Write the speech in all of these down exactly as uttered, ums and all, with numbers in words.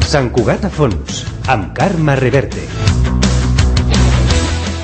Sant Cugat a fons, amb Carme Reverte.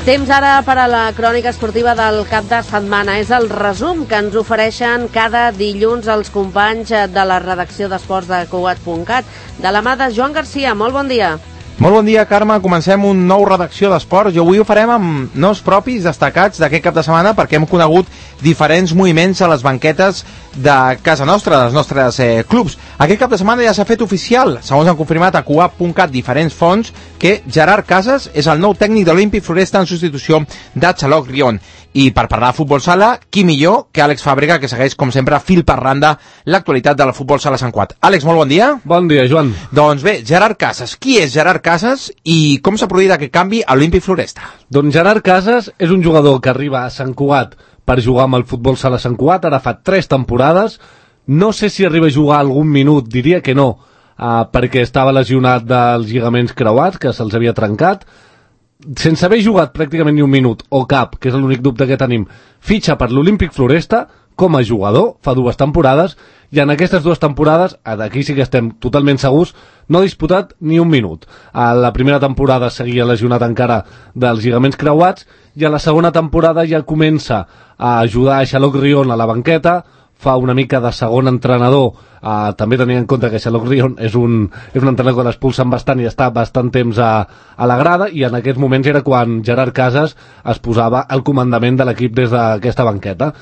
Temps ara per a la crònica esportiva del cap de setmana. És el resum que ens ofereixen cada dilluns els companys de la redacció d'esports de Cugat punt cat. De la mà de Joan Garcia, molt bon dia. Molt bon dia, Carme. Comencem un nou redacció d'esports i avui ho farem amb noms propis destacats d'aquest cap de setmana perquè hem conegut diferents moviments a les banquetes de casa nostra, dels nostres eh, clubs. Aquest cap de setmana ja s'ha fet oficial, segons han confirmat a Cugat punt cat diferents fonts, que Gerard Casas és el nou tècnic de l'Olímpic Floresta en substitució de Xaloc Rion. I per parlar de futbol sala, qui millor que Àlex Fàbrega, que segueix, com sempre, fil per randa l'actualitat de la futbol sala Sant Cugat. Àlex, molt bon dia. Bon dia, Joan. Doncs bé, Gerard Casas. Qui és Gerard Casas i com s'ha produït aquest canvi a l'Olímpic Floresta? Doncs Gerard Casas és un jugador que arriba a Sant Cugat per jugar amb el futbol sala Sant Cugat, ara fa tres temporades. No sé si arriba a jugar algun minut, diria que no, uh, perquè estava lesionat dels lligaments creuats, que se'ls havia trencat. Sense haver jugat pràcticament ni un minut, o cap, que és l'únic dubte que tenim, fitxa per l'Olímpic Floresta com a jugador, fa dues temporades, i en aquestes dues temporades, aquí sí que estem totalment segurs, no ha disputat ni un minut. A la primera temporada seguia lesionat encara dels lligaments creuats, i a la segona temporada ja comença a ajudar a Xaloc Rion a la banqueta, fa una mica de segon entrenador, uh, també tenint en compte que Xaloc Rion és un, és un entrenador que l'expulsen bastant i està bastant temps a, a la grada, i en aquests moments era quan Gerard Casas es posava al comandament de l'equip des d'aquesta banqueta.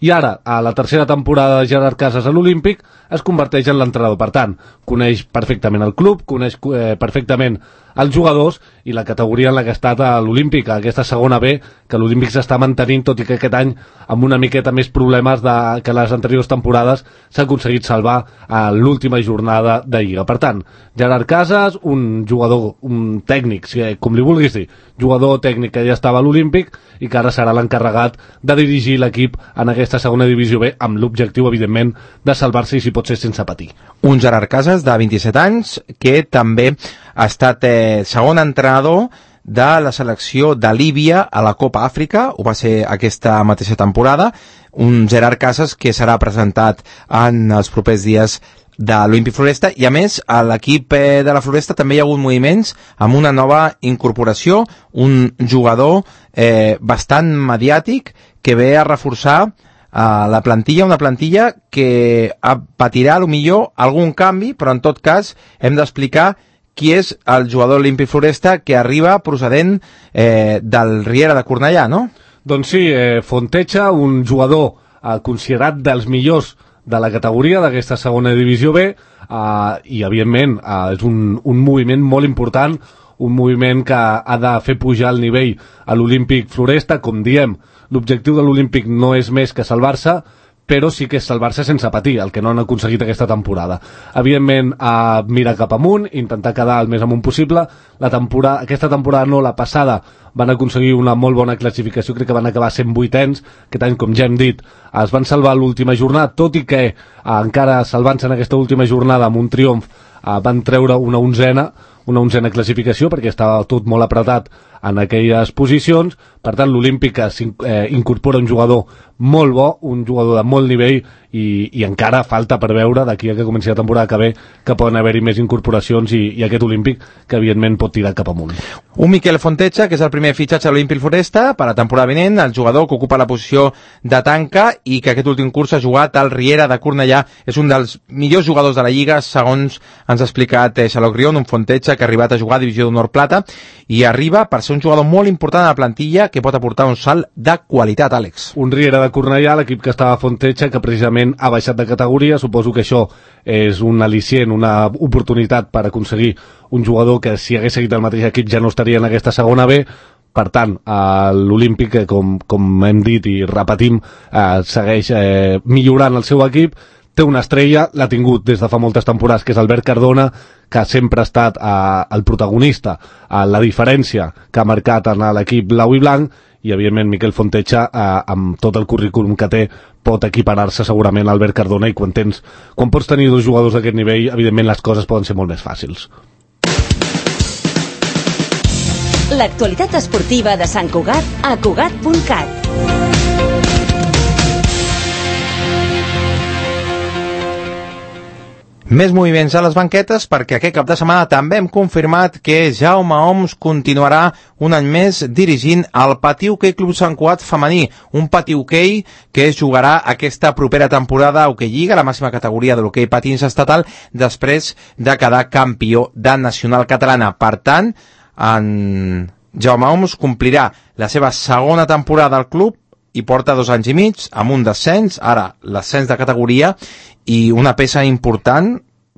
I ara, a la tercera temporada de Gerard Casas a l'Olímpic, es converteix en l'entrenador. Per tant, coneix perfectament el club, coneix eh, perfectament els jugadors i la categoria en la que ha estat a l'Olímpic, aquesta segona B, que l'Olímpic s'està mantenint, tot i que aquest any amb una miqueta més problemes de, que les anteriors temporades s'ha aconseguit salvar a l'última jornada de Lliga. Per tant, Gerard Casas, un jugador, un tècnic, com li vulguis dir, jugador tècnic que ja estava a l'Olímpic i que ara serà l'encarregat de dirigir l'equip en aquesta segona divisió B, amb l'objectiu, evidentment, de salvar-se i si pot ser sense patir. Un Gerard Casas de vint-i-set anys que també ha estat eh, segon entrenador de la selecció de Líbia a la Copa Àfrica, ho va ser aquesta mateixa temporada. Un Gerard Casas que serà presentat en els propers dies de l'Olímpic Floresta, i a més a l'equip eh, de la Floresta també hi ha hagut moviments amb una nova incorporació, un jugador eh, bastant mediàtic que ve a reforçar a la plantilla, una plantilla que patirà a lo millor algun canvi, però en tot cas hem d'explicar qui és el jugador Olímpic Floresta que arriba procedent eh, del Riera de Cornellà, no? Doncs sí, eh, Fontecha, un jugador eh, considerat dels millors de la categoria d'aquesta segona divisió B, eh, i evidentment eh, és un, un moviment molt important, un moviment que ha de fer pujar el nivell a l'Olímpic Floresta. Com diem, l'objectiu de l'Olímpic no és més que salvar-se, però sí que és salvar-se sense patir, el que no han aconseguit aquesta temporada. Evidentment, a mirar cap amunt, intentar quedar el més amunt possible. La temporada, aquesta temporada no, la passada, van aconseguir una molt bona classificació, crec que van acabar sent vuitens, aquest any, com ja hem dit, es van salvar l'última jornada, tot i que eh, encara salvant-se en aquesta última jornada amb un triomf, eh, van treure una onzena, una onzena classificació, perquè estava tot molt apretat en aquelles posicions. Per tant, l'Olímpic eh, incorpora un jugador molt bo, un jugador de molt nivell, i, i encara falta per veure d'aquí a que comenci la temporada que ve que poden haver-hi més incorporacions i, i aquest Olímpic que evidentment pot tirar cap amunt. Un Miquel Fontecha, que és el primer fitxatge a l'Olímpic Floresta per a la temporada vinent, el jugador que ocupa la posició de tanca i que aquest últim curs ha jugat al Riera de Cornellà. És un dels millors jugadors de la Lliga, segons ens ha explicat eh, Xaloc Rion, un Fontecha que ha arribat a jugar a Divisió d'Honor Plata i arriba per ser un jugador molt important a la plantilla que pot aportar un salt de qualitat, Àlex. Un Riera de Cornellà, l'equip que estava a Fontecha, que precisament ha baixat de categoria. Suposo que això és un al·licient, una oportunitat per aconseguir un jugador que si hagués seguit el mateix equip ja no estaria en aquesta segona B. Per tant, eh, l'Olímpic, com, com hem dit i repetim, eh, segueix eh, millorant el seu equip. Té una estrella, l'ha tingut des de fa moltes temporades, que és Albert Cardona, que sempre ha estat eh, el protagonista, eh, la diferència que ha marcat en l'equip blau i blanc, i evidentment Miquel Fontecha, eh, amb tot el currículum que té, pot equiparar-se segurament a Albert Cardona, i quan tens, quan pots tenir dos jugadors d'aquest nivell, evidentment les coses poden ser molt més fàcils. L'actualitat esportiva de Sant Cugat a Cugat punt cat. Més moviments a les banquetes perquè aquest cap de setmana també hem confirmat que Jaume Oms continuarà un any més dirigint el Patí Hoquei Club Sant Cugat femení, un Patí Hoquei que jugarà aquesta propera temporada a Hoquei Lliga, la màxima categoria de l'hoquei patins estatal, després de quedar campió de nacional catalana. Per tant, en Jaume Oms complirà la seva segona temporada al club i porta dos anys i mig amb un descens, ara l'ascens de categoria, i una peça important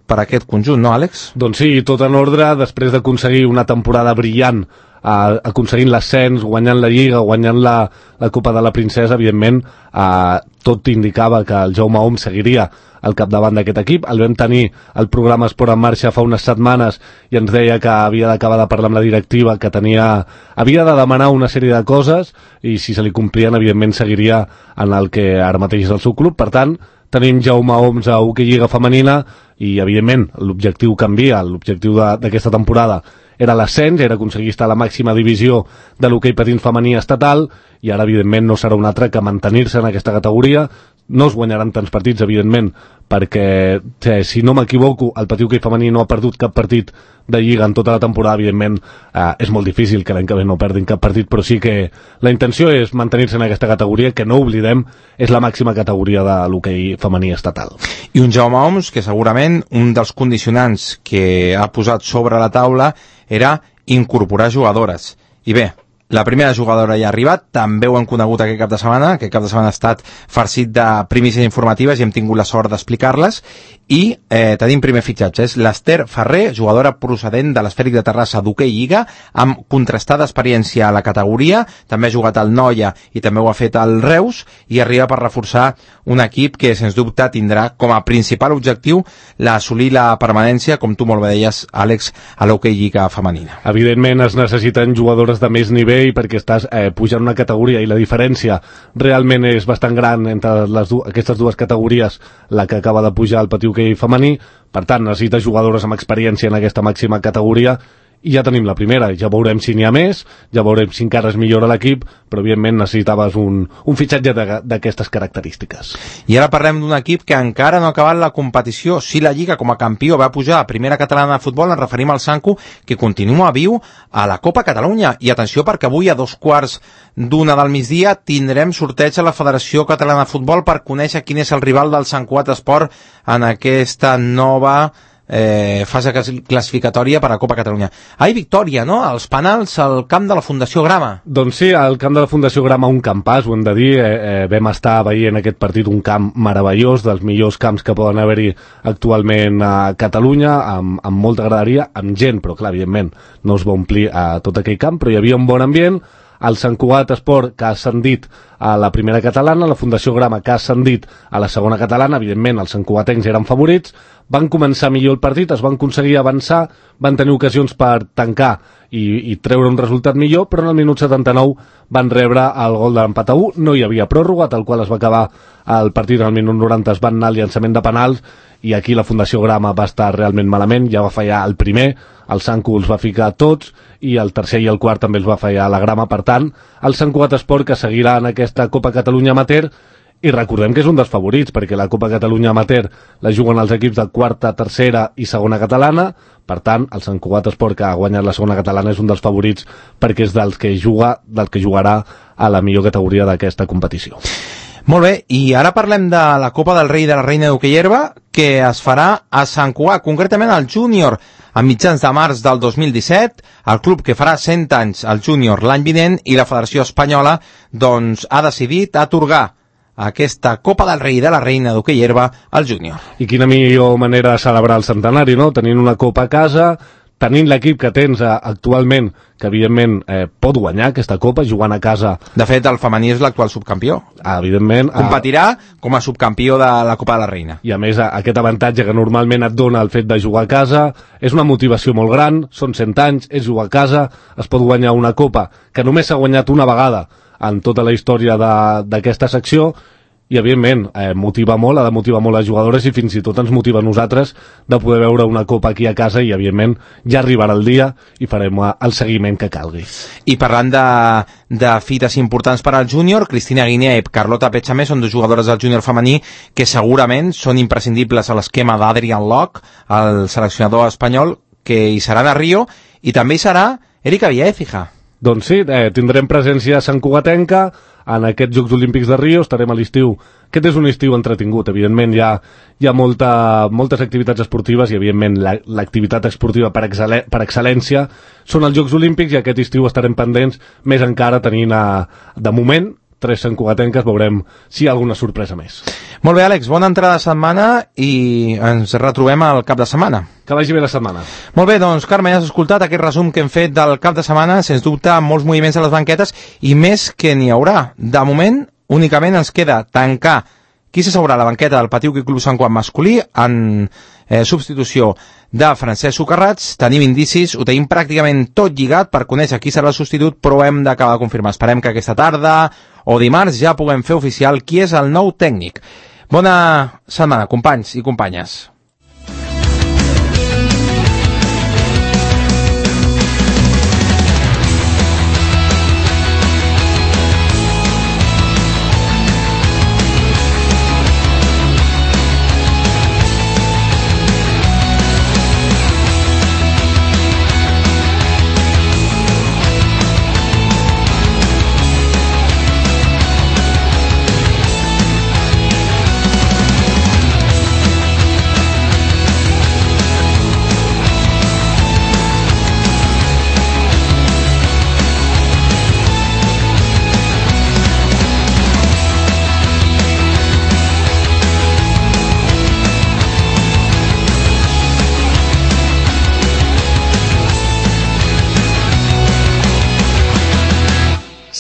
per a aquest conjunt, no, Àlex? Doncs sí, tot en ordre, després d'aconseguir una temporada brillant, eh, aconseguint l'ascens, guanyant la Lliga, guanyant la, la Copa de la Princesa, evidentment, eh, tot indicava que el Jaume Oms seguiria al capdavant d'aquest equip. El vam tenir el programa Esport en Marxa fa unes setmanes i ens deia que havia d'acabar de parlar amb la directiva, que tenia, havia de demanar una sèrie de coses i si se li complien, evidentment, seguiria en el que ara mateix és el seu club. Per tant, tenim Jaume Oms a Hoquei Lliga femenina i, evidentment, l'objectiu canvia. L'objectiu d'aquesta temporada era l'ascens, era aconseguir estar a la màxima divisió de l'hoquei patins femení estatal i ara, evidentment, no serà un altre que mantenir-se en aquesta categoria. No es guanyaran tants partits, evidentment, perquè, eh, si no m'equivoco, el Patí Hoquei femení no ha perdut cap partit de Lliga en tota la temporada. Evidentment, eh, és molt difícil que l'any que ve no perdin cap partit, però sí que la intenció és mantenir-se en aquesta categoria, que no oblidem, és la màxima categoria de l'hoquei femení estatal. I un Jaume Oms que segurament un dels condicionants que ha posat sobre la taula era incorporar jugadores. I bé, la primera jugadora ja ha arribat, també ho hem conegut aquest cap de setmana, aquest cap de setmana ha estat farcit de primícies informatives i hem tingut la sort d'explicar-les, i eh, tenim primer fitxatge, és l'Ester Ferrer, jugadora procedent de l'Esfèric de Terrassa d'Hoquei Lliga, amb contrastada experiència a la categoria, també ha jugat al Noia i també ho ha fet al Reus, i arriba per reforçar un equip que, sens dubte, tindrà com a principal objectiu l'assolir la permanència, com tu molt bé deies, Àlex, a l'Hoquei Lliga femenina. Evidentment es necessiten jugadores de més nivell perquè estàs eh, pujant una categoria i la diferència realment és bastant gran entre les du aquestes dues categories, la que acaba de pujar al Patí Hoquei femení. Per tant, necessita jugadores amb experiència en aquesta màxima categoria i ja tenim la primera, ja veurem si n'hi ha més, ja veurem si encara es millora l'equip, però evidentment necessitaves un, un fitxatge d'aquestes característiques. I ara parlem d'un equip que encara no ha acabat la competició. Sí, la Lliga com a campió va pujar a primera catalana de futbol, ens referim al Sancu, que continua viu a la Copa Catalunya. I atenció, perquè avui a dos quarts d'una del migdia tindrem sorteig a la Federació Catalana de Futbol per conèixer quin és el rival del Sant Cugat Esport en aquesta nova Eh, fase classificatòria per a Copa Catalunya. Ai, victòria, no? Els penals al camp de la Fundació Grama. Doncs sí, al camp de la Fundació Grama, un campàs, ho hem de dir. Eh, eh, vam estar veient aquest partit, un camp meravellós, dels millors camps que poden haver-hi actualment a Catalunya, amb, amb molta graderia, amb gent, però clar, evidentment no es va omplir a tot aquell camp, però hi havia un bon ambient. El Sant Cugat Esport, que ha ascendit a la primera catalana, la Fundació Grama, que ha ascendit a la segona catalana. Evidentment els santcugatencs eren favorits, van començar millor el partit, es van aconseguir avançar, van tenir ocasions per tancar i, i treure un resultat millor, però en el minut setanta-nou van rebre el gol de l'empat a u, no hi havia pròrroga, tal qual es va acabar el partit en el minut noranta, es van anar al llançament de penals, i aquí la Fundació Grama va estar realment malament, ja va fallar el primer, el Sancu els va ficar tots, i el tercer i el quart també els va fallar la Grama. Per tant, el Sant Cugat Esport, que seguirà en aquesta Copa Catalunya Amateur, i recordem que és un dels favorits, perquè la Copa Catalunya Amateur la juguen els equips de quarta, tercera i segona catalana. Per tant, el Sant Cugat Esport, que ha guanyat la segona catalana, és un dels favorits perquè és dels que juga, del que jugarà a la millor categoria d'aquesta competició. Molt bé, i ara parlem de la Copa del Rei i de la Reina d'Hoquei Herba, que es farà a Sant Cugat, concretament al Júnior, a mitjans de març del dos mil disset, el club que farà cent anys al Júnior l'any vinent, i la Federació Espanyola doncs, ha decidit atorgar aquesta Copa del Rei i de la Reina d'Hoquei Herba al Júnior. I quina millor manera de celebrar el centenari, no? Tenint una copa a casa, tenint l'equip que tens eh, actualment, que evidentment eh, pot guanyar aquesta copa jugant a casa. De fet, el femení és l'actual subcampió. Ah, evidentment. Competirà ah, com a subcampió de la Copa de la Reina. I a més, aquest avantatge que normalment et dona el fet de jugar a casa és una motivació molt gran, són cent anys, és jugar a casa, es pot guanyar una copa que només s'ha guanyat una vegada en tota la història d'aquesta secció, i evidentment eh, motiva molt, ha de motivar molt les jugadores i fins i tot ens motiva a nosaltres de poder veure una copa aquí a casa i evidentment ja arribarà el dia i farem el seguiment que calgui. I parlant de, de fites importants per al júnior, Cristina Guinea i Carlota Pechamé són dues jugadores del júnior femení que segurament són imprescindibles a l'esquema d'Adrian Locke, el seleccionador espanyol, que hi seran a Rio, i també hi serà Erika Villaécija. Doncs sí, eh, tindrem presència santcugatenca en aquests Jocs Olímpics de Rio, estarem a l'estiu. Aquest és un estiu entretingut, evidentment hi ha, hi ha molta, moltes activitats esportives i evidentment l'activitat esportiva per, excel·le, per excel·lència són els Jocs Olímpics i aquest estiu estarem pendents, més encara tenint a, de moment tres santcugatenques, veurem si hi ha alguna sorpresa més. Molt bé, Àlex, bona entrada de setmana i ens retrobem al cap de setmana. Que vagi bé la setmana. Molt bé, doncs, Carme, ja has escoltat aquest resum que hem fet del cap de setmana, sens dubte, molts moviments a les banquetes i més que n'hi haurà. De moment, únicament ens queda tancar qui s'asseurà a la banqueta del Patiu Club Sant Quat masculí en eh, substitució de Francesc Socarrats. Tenim indicis, ho tenim pràcticament tot lligat per conèixer qui serà el substitut, però hem d'acabar de confirmar. Esperem que aquesta tarda o dimarts ja puguem fer oficial qui és el nou tècnic. Bona setmana, companys i companyes.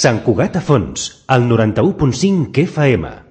Sant Cugat a Fons, al noranta-u punt cinc F M.